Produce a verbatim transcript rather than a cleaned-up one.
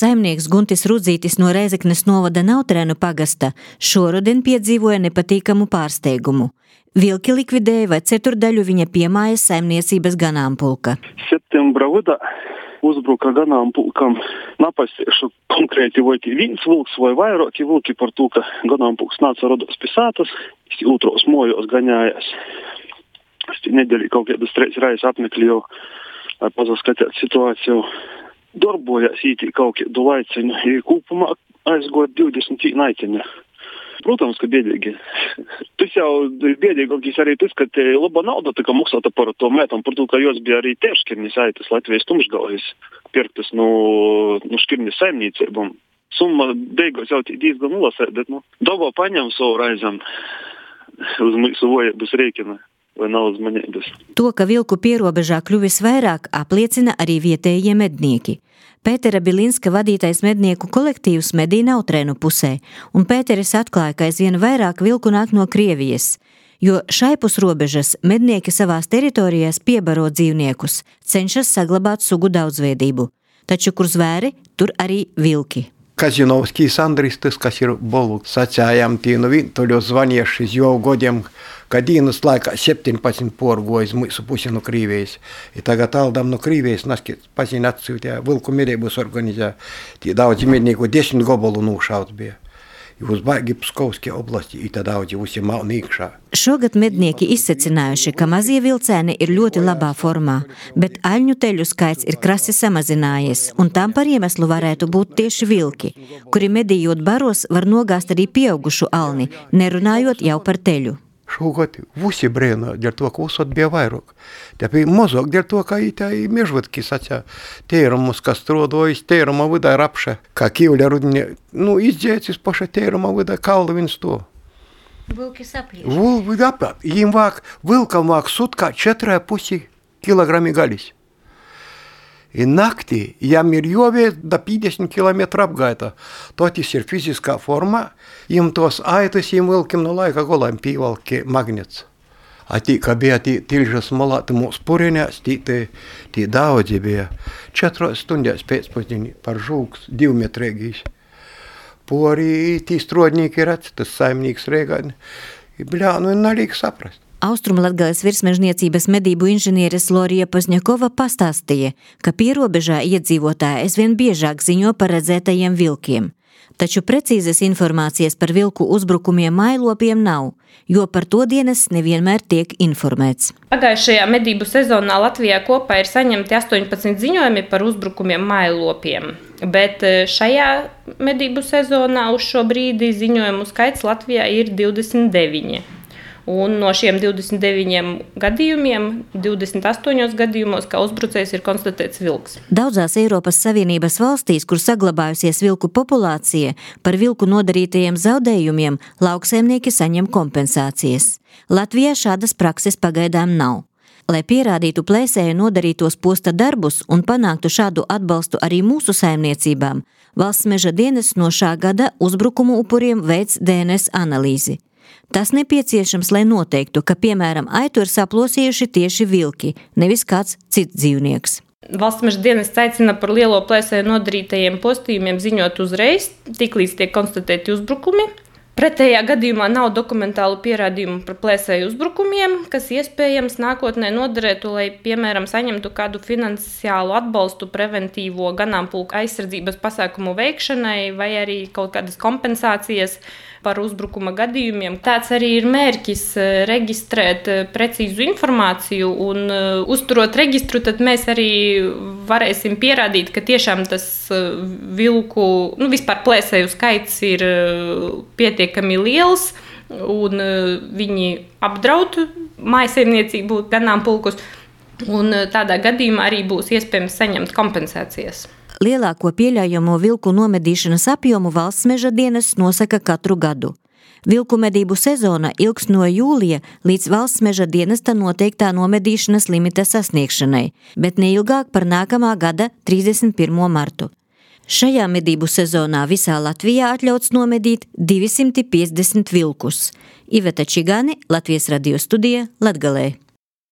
saimnieks Guntis Rudzītis no Rēzeknes novada Nautrēnu pagasta šoruden piedzīvoja nepatīkamu pārsteigumu. Vilki likvidēja vai ceturdaļu viņa piemājas saimniecības ganāmpulka. Septembra vidā uzbruka ganāmpulkam. Napasiešu konkrēti vai viens vilks vai vairāki vilki par to, ka ganāmpulks nāca rodos pie sātas, otros mojos gaņājās. Es nedēļu kaut kādas trīs reizes apmeklēju, lai pazaskatīt situāciju. Darbojās ītī kaut kādu laiciņu, ja kopumā aizgot divdesmit naitiņa. Protams, ka biedīgi. Tas jau biedīgākais arī tas, ka te laba nauda tika maksāta par to mētam, par to, ka jos bija arī tie škirnis aitas Latvijas tumšgalvis pirktas no, no škirnis saimniecībām. Summa beigās jau diezgan nolasē, bet nu, dabā paņem savu raizam uz mūsu vojības rēkina. Vai nav uzmanības. To, ka vilku pierobežā kļuvis vairāk, apliecina arī vietējie mednieki. Pētera Bilinska vadītais mednieku kolektīvs medī Nautrēnu pusē, un Pēteris atklāja, ka aizvien vairāk vilku nāk no Krievijas, jo šaipus robežas mednieki savās teritorijās piebaro dzīvniekus, cenšas saglabāt sugu daudzveidību. Taču, kur zvēri, tur arī vilki. Казиновский Андрис, tas, kas ir bolu sacējām tīnu vintuļu zvanieši jau godiem, kad dienas laikā septiņpadsmit porgojas mūsu pusi no Krīvijas. I tagad aldam no Krīvijas, naskit paziņ atsūtījā, vilku medības organizē, tie daudzi mednieku desmit gobolu nūšauts bija. Uz baigi Pskovskie oblasti, i tad daudzi visi mauni iekšā. Šogad mednieki izsecinājuši, ka mazie vilcēni ir ļoti labā formā, bet aļņu teļu skaits ir krasi samazinājies, un tam par iemeslu varētu būt tieši vilki, kuri medījot baros var nogāzt arī pieaugušu alni, nerunājot jau par teļu. Šogad visi brēna, dēļ to, ka uzsot bija vairāk. Te bija mazāk, dēļ to, ka tā ir mežvatki sacā. Tērumus, kas strodojas, tēruma vidā rapša, kā kīvļa rudini, nu, izdzēcis paša tēruma vidā kaldu viens to. Vilki saplieš. Vilki apāt. Jim vāk, vilkam vāk sutkā četrai pusi kilogrami galis. I naktī, jam ir jovies da piecdesmit kilometru apgaita. Totis ir fiziskā forma, jim tos aitas, jim vilkim no laika golam pīvalki magnets. A tī, ka bija tī tilžas malāti mūs purinās, tī, tī, tī daudzi bija. Četros stundās pēcpusdienī par žūks, divmetrēgīs. Pori tī strodnīki redz, tas saimnīgs Reigani. Bļā, nu nalīk saprast. Austrumlatgales virsmežniecības medību inženieres Lorija Pozņakova pastāstīja, ka pierobežā iedzīvotāji aizvien biežāk ziņo par redzētajiem vilkiem. Taču precīzas informācijas par vilku uzbrukumiem mājlopiem nav, jo par to dienas nevienmēr tiek informēts. Pagājušajā medību sezonā Latvijā kopā ir saņemti astoņpadsmit ziņojumi par uzbrukumiem mājlopiem, bet šajā medību sezonā uz šo brīdi ziņojumu skaits Latvijā ir divdesmit deviņi. Un no šiem divdesmit deviņiem gadījumiem, divdesmit astoņos gadījumos, kā uzbrucējs ir konstatēts vilks. Daudzās Eiropas Savienības valstīs, kur saglabājusies vilku populācija, par vilku nodarītajiem zaudējumiem lauksaimnieki saņem kompensācijas. Latvijā šādas prakses pagaidām nav. Lai pierādītu plēsēju nodarītos posta darbus un panāktu šādu atbalstu arī mūsu saimniecībām, Valsts meža dienests no šā gada uzbrukumu upuriem veic D N S analīzi. Tas nepieciešams, lai noteiktu, ka, piemēram, aitu ir saplosījuši tieši vilki, nevis kāds cits dzīvnieks. Valsts meža dienests aicina par lielo plēsēju nodarītajiem postījumiem ziņot uzreiz, tiklīdz tiek konstatēti uzbrukumi. Pretējā gadījumā nav dokumentālu pierādījumu par plēsēju uzbrukumiem, kas iespējams nākotnē noderētu, lai, piemēram, saņemtu kādu finansiālu atbalstu preventīvo ganāmpulka aizsardzības pasākumu veikšanai vai arī kaut kādas kompensācijas par uzbrukuma gadījumiem. Tāds arī ir mērķis reģistrēt precīzu informāciju un uzturot reģistru, tad mēs arī varēsim pierādīt, ka tiešām tas vilku, nu vispār plēsēju skaits ir pietiekami liels un viņi apdraud mājsaimniecību ganāmpulkus un tādā gadījumā arī būs iespējams saņemt kompensācijas. Lielāko pieļaujamo vilku nomedīšanas apjomu Valsts meža dienests nosaka katru gadu. Vilku medību sezona ilgs no jūlija līdz Valsts meža dienesta noteiktā nomedīšanas limita sasniegšanai, bet neilgāk par nākamā gada trīsdesmit pirmo martu. Šajā medību sezonā visā Latvijā atļauts nomedīt divi simti piecdesmit vilkus. Iveta Čigāne, Latvijas radio studija, Latgalē.